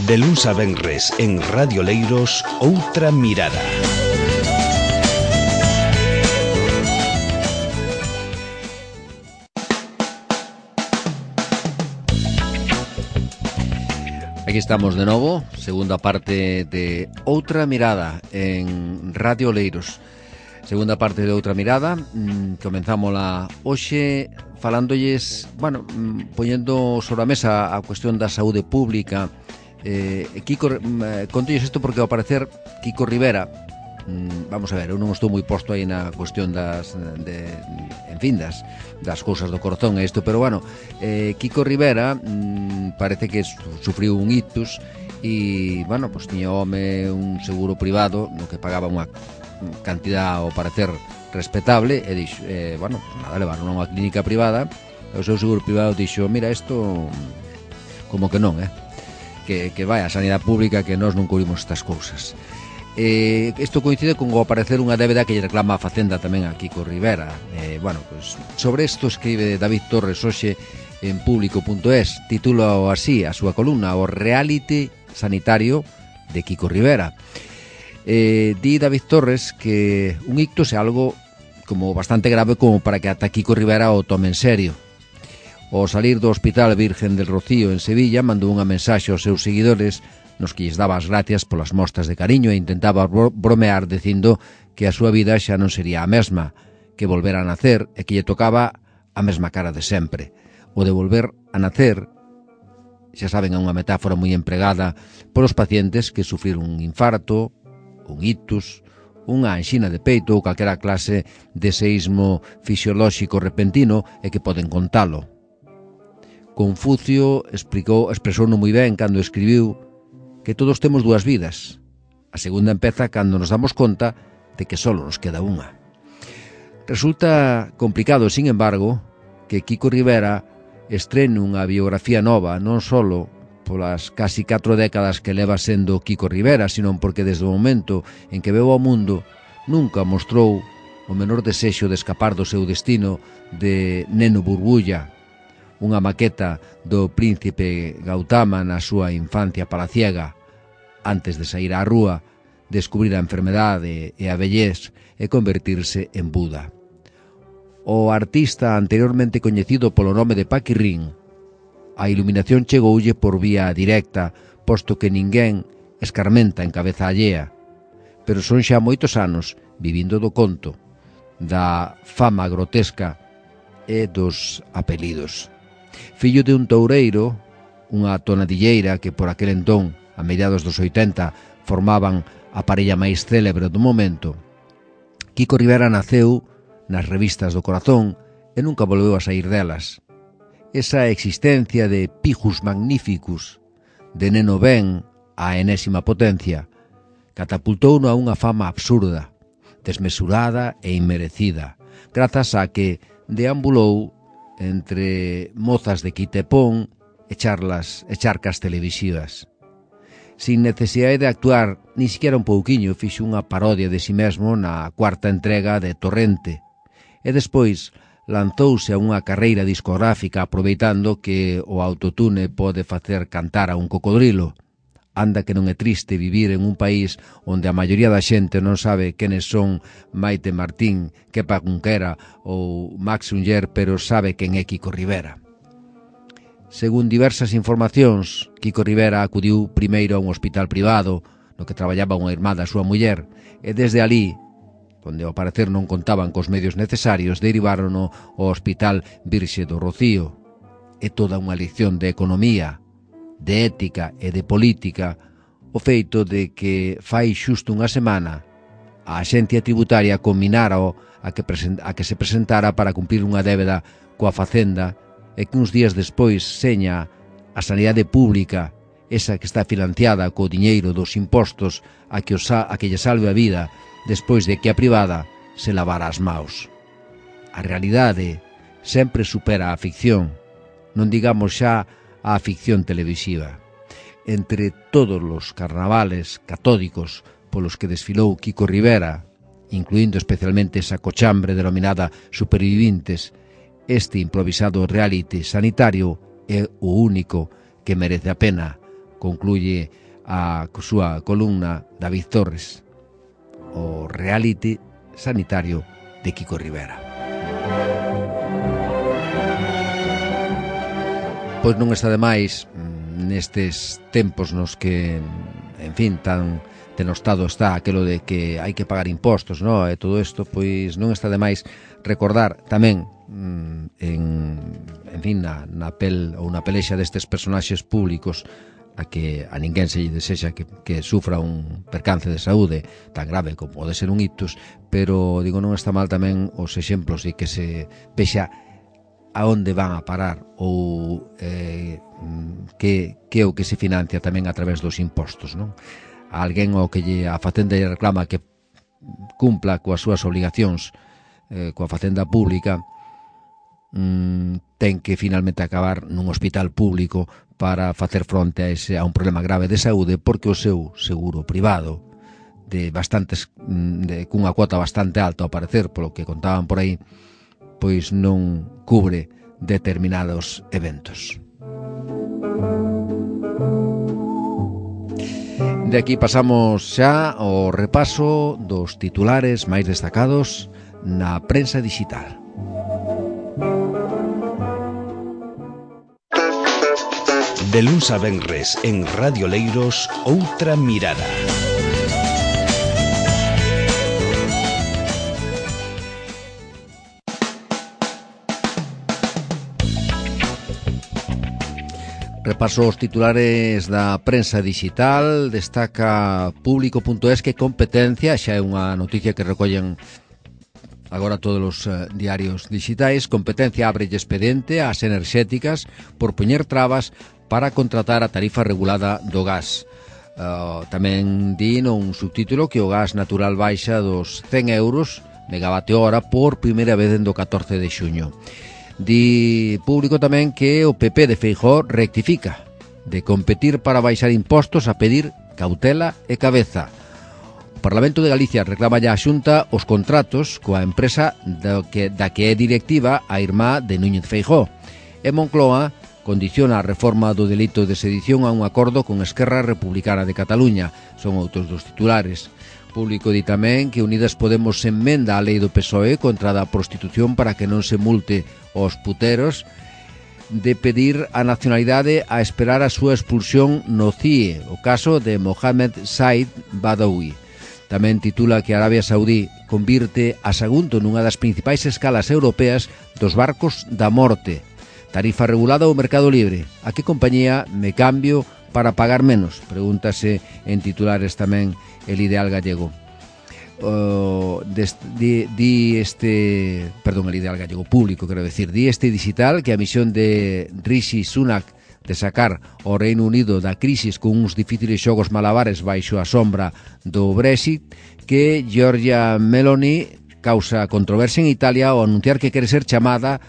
De luns a venres en Radio Leiros, Outra Mirada. Aquí estamos de novo, segunda parte de Outra Mirada en Radio Leiros. Segunda parte de Outra Mirada, comenzámola hoxe falándolles, poñendo sobre a mesa a cuestión da saúde pública. Contolles isto porque ao parecer Kiko Rivera, vamos a ver, eu non estou moi posto aí na cuestión das cousas do corazón e isto, pero Kiko Rivera parece que sufriu un ictus e, pues tiña home un seguro privado no que pagaba unha cantidad ao parecer respetable e dixo, levaron a unha clínica privada e o seu seguro privado dixo, mira, isto como que non, que vai a sanidade pública, que nós non cubrimos estas cousas. Isto coincide con o aparecer unha débeda que lle reclama a Facenda tamén a Kiko Rivera. Sobre isto escribe David Torres hoxe en público.es, titula así a súa columna, o reality sanitario de Kiko Rivera. Di David Torres que un ictus é algo como bastante grave como para que ata Kiko Rivera o tome en serio. Ao salir do Hospital Virgen del Rocío en Sevilla mandou unha mensaxe aos seus seguidores nos que lles daba as gracias polas mostras de cariño e intentaba bromear dicindo que a súa vida xa non sería a mesma, que volvera a nacer e que lle tocaba a mesma cara de sempre. O de volver a nacer, xa saben, é unha metáfora moi empregada polos pacientes que sufriron un infarto, un ictus, unha anxina de peito ou calquera clase de seísmo fisiolóxico repentino e que poden contalo. Confucio expresouno moi ben cando escribiu que todos temos dúas vidas. A segunda empeza cando nos damos conta de que só nos queda unha. Resulta complicado, sin embargo, que Kiko Rivera estrene unha biografía nova, non só polas casi 4 décadas que leva sendo Kiko Rivera, sino porque desde o momento en que veu ao mundo nunca mostrou o menor desexo de escapar do seu destino de neno burbulla, unha maqueta do príncipe Gautama na súa infancia palaciega, antes de sair á rúa, descubrir a enfermedade e a vellez e convertirse en Buda. O artista anteriormente coñecido polo nome de Paquirrín, a iluminación chegoulle por vía directa, posto que ninguén escarmenta en cabeza allea, pero son xa moitos anos vivindo do conto, da fama grotesca e dos apelidos. Fillo de un toureiro, unha tonadilleira que por aquel entón, a mediados dos 80, formaban a parella máis célebre do momento, Kiko Rivera naceu nas revistas do corazón e nunca volveu a sair delas. Esa existencia de pijus magnificus, de neno ben á enésima potencia, catapultouno a unha fama absurda, desmesurada e inmerecida, grazas a que deambulou entre mozas de quitepón e charcas televisivas. Sin necesidade de actuar, ni siquiera un pouquiño, fixo unha parodia de si mesmo na 4ª entrega de Torrente, e despois lanzouse a unha carreira discográfica aproveitando que o autotune pode facer cantar a un cocodrilo. Anda que non é triste vivir en un país onde a maioría da xente non sabe quenes son Maite Martín, Kepa Cunquera ou Max Unger, pero sabe quen é Kiko Rivera. Según diversas informacións, Kiko Rivera acudiu primeiro a un hospital privado no que traballaba unha irmá da súa muller e desde alí, onde ao parecer non contaban cos medios necesarios, derivárono ao Hospital Virxe do Rocío. É toda unha lección de economía, de ética e de política o feito de que fai xusto unha semana a Axencia Tributaria combinara a que se presentara para cumplir unha débeda coa Facenda e que uns días despois seña a sanidade pública, esa que está financiada co diñeiro dos impostos a que lle salve a vida despois de que a privada se lavara as maus. A realidade sempre supera a ficción, non digamos xa a ficción televisiva. Entre todos os carnavales catódicos polos que desfilou Kiko Rivera, incluindo especialmente esa cochambre denominada Supervivintes, este improvisado reality sanitario é o único que merece a pena concluye a súa columna David Torres, o reality sanitario de Kiko Rivera. Pois non está de máis nestes tempos nos que, en fin, tan denostado está aquelo de que hai que pagar impostos, no? E todo isto, pois non está de máis recordar tamén en fin, na pel ou na pelexa destes personaxes públicos a que a ninguén se lle desexa que sufra un percance de saúde tan grave como pode ser un ictus, pero digo, non está mal tamén os exemplos e que se vexa a onde van a parar ou que é o que se financia tamén a través dos impostos, non? A alguén ao que a Facenda lle reclama que cumpla coas súas obligacións coa Facenda pública, ten que finalmente acabar nun hospital público para facer fronte a un problema grave de saúde, porque o seu seguro privado cunha cuota bastante alta ao parecer, polo que contaban por aí, pois non cubre determinados eventos. De aquí pasamos xa ao repaso dos titulares máis destacados na prensa digital. De luns a venres en Radio Leiros, Outra Mirada. Repaso os titulares da prensa digital. Destaca Público.es que competencia, xa é unha noticia que recollen agora todos os diarios digitais. Competencia abre expediente ás enerxéticas por poñer trabas para contratar a tarifa regulada do gas. Tamén di un subtítulo que o gas natural baixa dos 100 euros megavatio hora por primeira vez dende o 14 de xuño. Di Público tamén que o PP de Feijóo rectifica de competir para baixar impostos a pedir cautela e cabeza. O Parlamento de Galicia reclama ya a Xunta os contratos coa empresa da que é directiva a irmá de Núñez Feijóo. E Moncloa condiciona a reforma do delito de sedición a un acordo con Esquerra Republicana de Cataluña. Son outros dos titulares. Público di tamén que Unidas Podemos enmenda a lei do PSOE contra a prostitución para que non se multe os puteros, de pedir a nacionalidade a esperar a súa expulsión no CIE, o caso de Mohamed Said Badawi. Tamén titula que Arabia Saudí convirte a Sagunto nunha das principais escalas europeas dos barcos da morte. Tarifa regulada ou mercado libre. A que compañía me cambio para pagar menos? Pregúntase en titulares tamén el Ideal Gallego. El Ideal Gallego Público, quero decir, di este digital que a misión de Rishi Sunak de sacar o Reino Unido da crisis con uns difíciles xogos malabares baixo a sombra do Brexit, que Giorgia Meloni causa controversia en Italia ao anunciar que quere ser chamada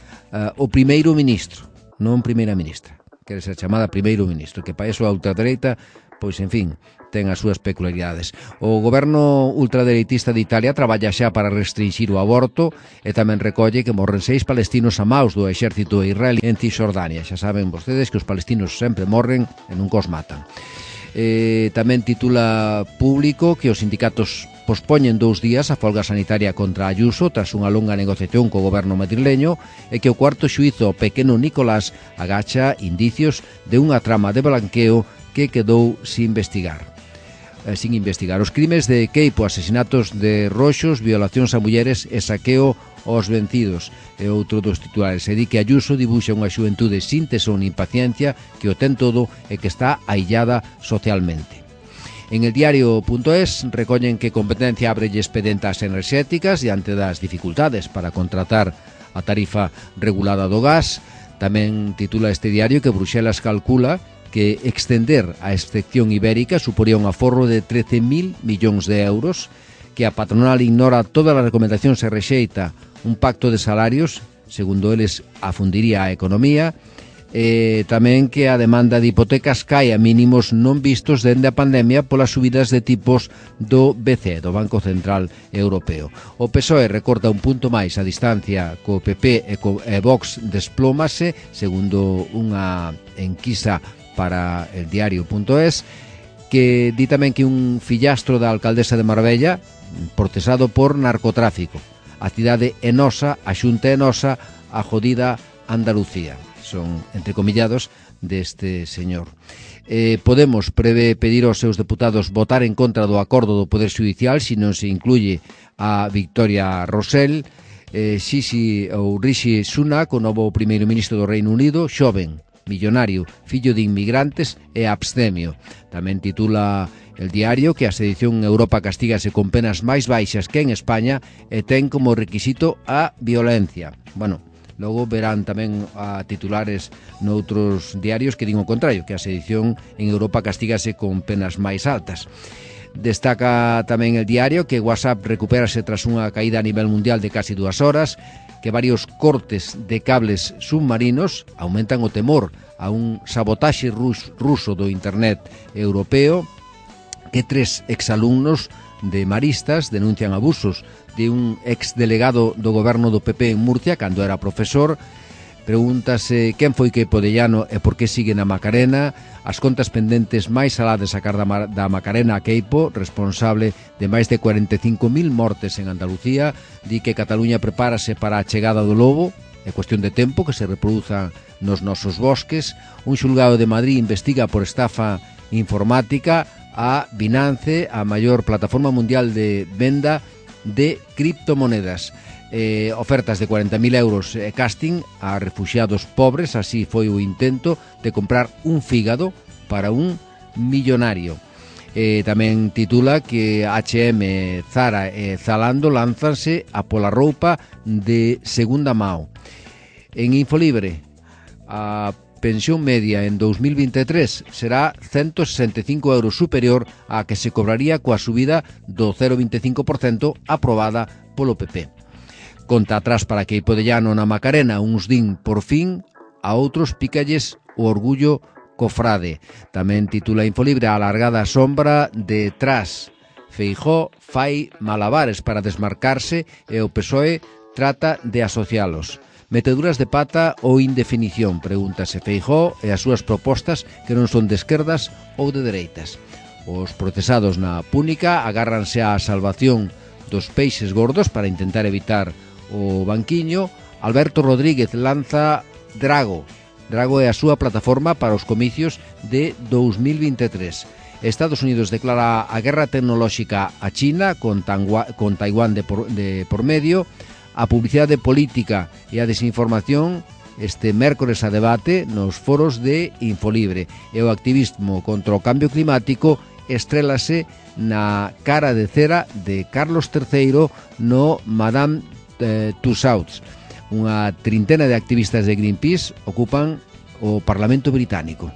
o primeiro ministro, non primeira ministra, quere ser chamada primeiro ministro, que para eso a ultradereita, pois en fin, ten as súas peculiaridades. O goberno ultradereitista de Italia traballa xa para restringir o aborto e tamén recolle que morren 6 palestinos a maus do exército israelí en Cisjordania. Xa saben vostedes que os palestinos sempre morren e nunca os matan. Tamén titula Público que os sindicatos pospoñen 2 días a folga sanitaria contra Ayuso tras unha longa negociación co goberno madrileño e que o cuarto xuízo pequeno Nicolás agacha indicios de unha trama de blanqueo que quedou sin investigar. Os crimes de Queipo, asesinatos de Roxos, violacións a mulleres e saqueo aos vencidos e outro dos titulares. E di que Ayuso dibuxa unha xuventude sin tesón nin paciencia, que o ten todo e que está aillada socialmente. En el diario.es recollen que competencia abre expedientes enerxéticas diante das dificultades para contratar a tarifa regulada do gas. Tamén titula este diario que Bruxelas calcula que extender a excepción ibérica suporía un aforro de 13.000 millóns de euros, que a patronal ignora todas as recomendacións e rexeita un pacto de salarios, segundo eles afundiría a economía, tamén que a demanda de hipotecas cae a mínimos non vistos dende a pandemia polas subidas de tipos do BCE, do Banco Central Europeo. O PSOE recorta un punto máis a distancia co PP e Vox desplómase, segundo unha enquisa para el diario.es, que di tamén que un fillastro da alcaldesa de Marbella procesado por narcotráfico. A cidade enosa, a xunta enosa, a jodida Andalucía. Son entrecomillados deste señor. Podemos prevé pedir aos seus deputados votar en contra do acordo do Poder Judicial se non se incluye a Victoria Rosell. Rishi Sunak, o novo primeiro ministro do Reino Unido, xoven, millonario, fillo de inmigrantes e abstemio. Tamén titula el diario que a sedición en Europa castígase con penas máis baixas que en España e ten como requisito a violencia. Bueno, logo verán tamén a titulares noutros diarios que din o contrario, que a sedición en Europa castígase con penas máis altas. Destaca tamén el diario que WhatsApp recupérase tras unha caída a nivel mundial de casi 2 horas, que varios cortes de cables submarinos aumentan o temor a un sabotaxe ruso do internet europeo, que 3 exalumnos de Maristas denuncian abusos de un exdelegado do goberno do PP en Murcia cando era profesor. Pregúntase quen foi Queipo de Llano e por que sigue na Macarena. As contas pendentes máis alá de sacar da Macarena a Queipo, responsable de máis de 45.000 mortes en Andalucía. Di que Cataluña prepárase para a chegada do lobo. É cuestión de tempo que se reproduzan nos nosos bosques. Un xulgado de Madrid investiga por estafa informática a Binance, a maior plataforma mundial de venda de criptomonedas. Ofertas de 40.000 euros casting a refuxiados pobres. Así foi o intento de comprar un fígado para un millonario. Tamén titula que H&M, Zara e Zalando lánzanse a pola roupa de segunda mão. En Infolibre, a pensión media en 2023 será 165 euros superior á que se cobraría coa subida do 0,25% aprobada polo PP. Conta atrás para Queipo de Llano na Macarena, uns din por fin, a outros pícalles o orgullo cofrade. Tamén titula Infolibre a alargada sombra de Tras. Feijóo fai malabares para desmarcarse e o PSOE trata de asocialos. Meteduras de pata ou indefinición, pregúntase Feijóo e as súas propostas que non son de esquerdas ou de dereitas. Os procesados na Púnica agárranse á salvación dos peixes gordos para intentar evitar o banquiño. Alberto Rodríguez lanza Drago. Drago é a súa plataforma para os comicios de 2023. Estados Unidos declara a guerra tecnolóxica a China con Taiwán de por medio. A publicidade política e a desinformación este mércores a debate nos foros de Infolibre. E o activismo contra o cambio climático estrélase na cara de cera de Carlos III no Madame Tussauds. Unha trintena de activistas de Greenpeace ocupan o Parlamento británico.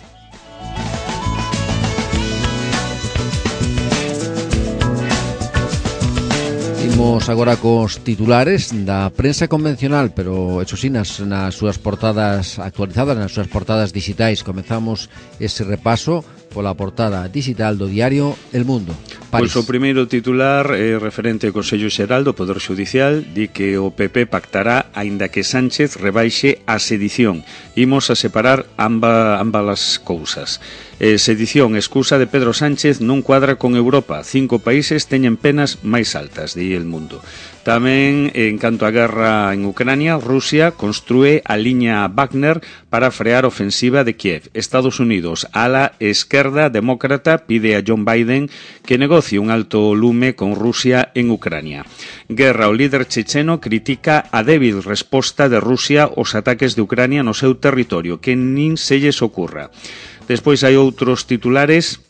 Imos agora cos titulares da prensa convencional, pero eso sí, nas súas portadas actualizadas, nas súas portadas digitais. Comezamos ese repaso pola portada digital do diario El Mundo. París. Pois o primeiro titular é referente ao Consello Xeral do Poder Judicial. Di que o PP pactará aínda que Sánchez rebaixe a sedición. Imos a separar ambas as cousas. Sedición, excusa de Pedro Sánchez non cuadra con Europa. 5 países teñen penas máis altas, di El Mundo. Tamén, en canto á guerra en Ucrania, Rusia construe a liña Wagner para frear a ofensiva de Kiev. Estados Unidos, ala esquerda demócrata, pide a John Biden que negocie un alto lume con Rusia en Ucrania. Guerra, o líder checheno critica a débil resposta de Rusia aos ataques de Ucrania no seu territorio, que nin se lles ocurra. Despois hai outros titulares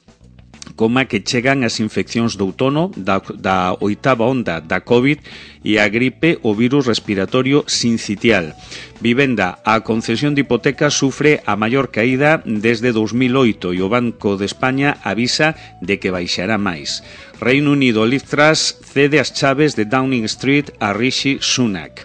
como que chegan as infeccións do outono, da 8ª onda da COVID e a gripe o virus respiratorio sincitial. Vivenda, a concesión de hipotecas sufre a maior caída desde 2008 e o Banco de España avisa de que baixará máis. Reino Unido, Liz Truss cede as chaves de Downing Street a Rishi Sunak.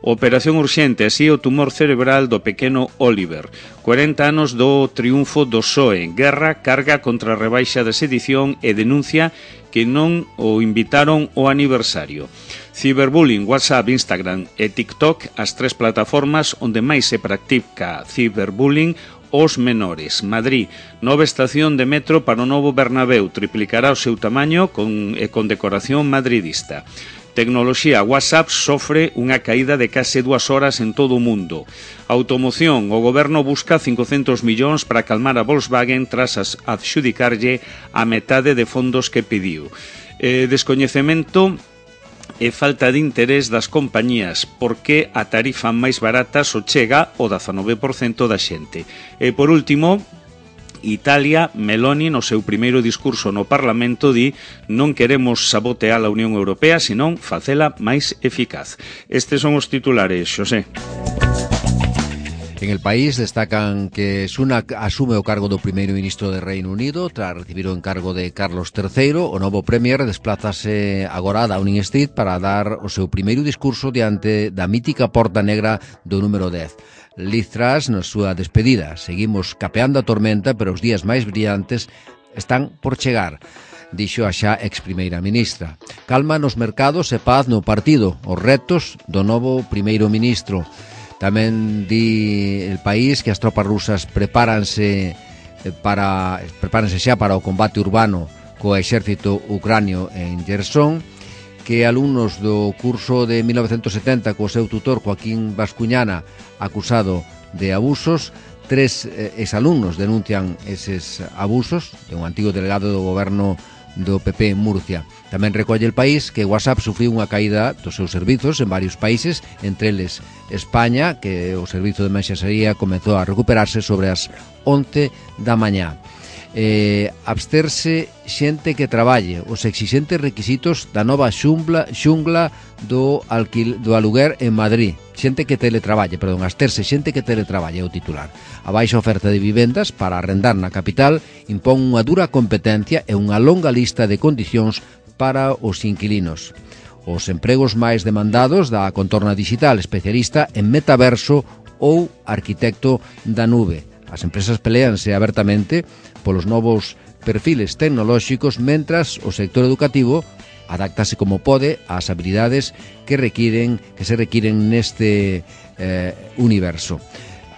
Operación urxente, así o tumor cerebral do pequeno Oliver. 40 anos do triunfo do PSOE. Guerra carga contra a rebaixa de sedición e denuncia que non o invitaron ao aniversario. Ciberbullying, WhatsApp, Instagram e TikTok, as 3 plataformas onde máis se practica ciberbullying os menores. Madrid, nova estación de metro para o novo Bernabéu, triplicará o seu tamaño con decoración madridista. Tecnoloxía, WhatsApp sofre unha caída de case 2 horas en todo o mundo. Automoción, o goberno busca 500 millóns para calmar a Volkswagen tras adxudicarlle a metade de fondos que pediu. Descoñecemento e falta de interés das compañías, porque a tarifa máis barata só chega o 19% da xente. E por último, Italia, Meloni, no seu primeiro discurso no Parlamento, di: non queremos sabotear a Unión Europea, senón facela máis eficaz. Estes son os titulares, Xosé. En El País destacan que Sunak asume o cargo do primeiro ministro de Reino Unido tras recibir o encargo de Carlos III. O novo premier desplázase agora a Downing Street para dar o seu primeiro discurso diante da mítica Porta Negra do número 10. Liz Truss na súa despedida: seguimos capeando a tormenta, pero os días máis brillantes están por chegar, dixo a xa ex primeira ministra. Calma nos mercados e paz no partido, os retos do novo primeiro ministro. Tamén di El País que as tropas rusas prepáranse xa para o combate urbano co exército ucranio en Gerson, que alumnos do curso de 1970 co seu tutor Joaquín Bascuñana acusado de abusos. 3 exalumnos denuncian eses abusos de un antigo delegado do goberno do PP en Murcia. Tamén recolle El País que WhatsApp sufriu unha caída dos seus servizos en varios países, entre eles España, que o servizo de mensaxería comezou a recuperarse sobre as 11 da mañá. Absterse xente que traballe, os exixentes requisitos da nova xungla do aluguer en Madrid. Absterse xente que teletraballe, é o titular. A baixa oferta de vivendas para arrendar na capital impón unha dura competencia e unha longa lista de condicións para os inquilinos. Os empregos máis demandados da Contorna Digital, especialista en metaverso ou arquitecto da nube. As empresas peleanse abertamente polos novos perfiles tecnolóxicos, mentras o sector educativo adáctase como pode ás habilidades que se requiren neste universo.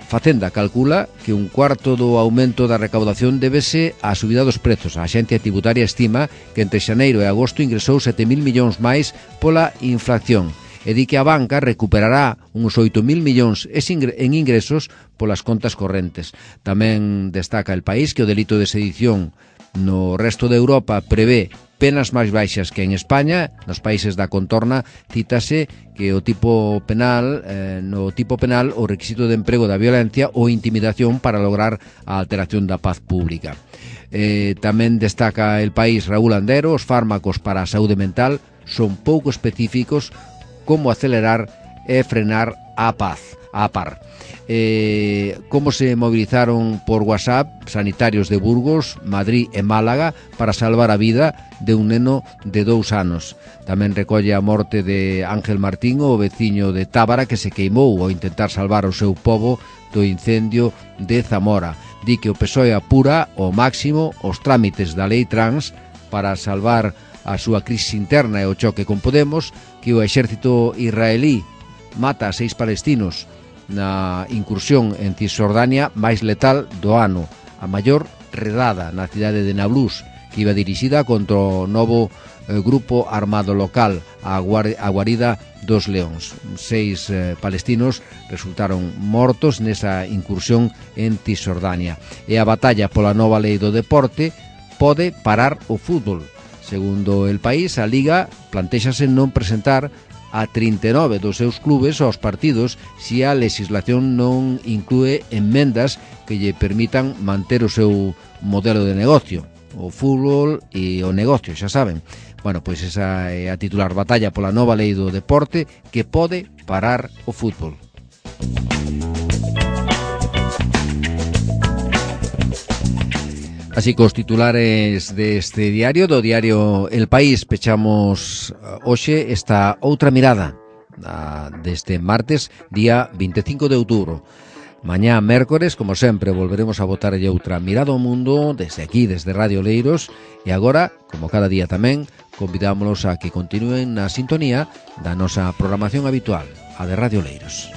Facenda calcula que un cuarto do aumento da recaudación débese á subida dos prezos. A Axencia Tributaria estima que entre xaneiro e agosto ingresou 7.000 millóns máis pola inflación e di que a banca recuperará uns 8.000 millóns en ingresos polas contas correntes. Tamén destaca El País que o delito de sedición no resto de Europa prevé penas máis baixas que en España. Nos países da contorna cítase que no tipo penal o requisito de emprego da violencia ou intimidación para lograr a alteración da paz pública. Tamén destaca El País, Raúl Andero, os fármacos para a saúde mental son pouco específicos como acelerar e frenar a par. Como se movilizaron por WhatsApp sanitarios de Burgos, Madrid e Málaga para salvar a vida de un neno de 2 anos. Tamén recolle a morte de Ángel Martín, o veciño de Tábara, que se queimou ao intentar salvar o seu pobo do incendio de Zamora. Di que o PSOE apura ao máximo os trámites da lei trans para salvar a súa crise interna e o choque con Podemos, que o exército israelí mata a 6 palestinos na incursión en Cisjordania máis letal do ano, a maior redada na cidade de Nablus, que iba dirixida contra o novo grupo armado local, a Guarida dos Leóns. 6 palestinos resultaron mortos nesa incursión en Cisjordania. E a batalla pola nova lei do deporte pode parar o fútbol. Segundo El País, a Liga plantéxase non presentar a 39 dos seus clubes aos partidos se a legislación non inclúe enmendas que lle permitan manter o seu modelo de negocio, o fútbol e o negocio, xa saben. Bueno, pois esa é a titular: batalla pola nova lei do deporte que pode parar o fútbol. Así que os titulares deste diario, do diario El País, pechamos hoxe esta outra mirada deste martes, día 25 de outubro. Mañá, mércores, como sempre, volveremos a botarlle outra mirada ao mundo desde aquí, desde Radio Leiros, e agora, como cada día tamén, convidámonos a que continúen na sintonía da nosa programación habitual, a de Radio Leiros.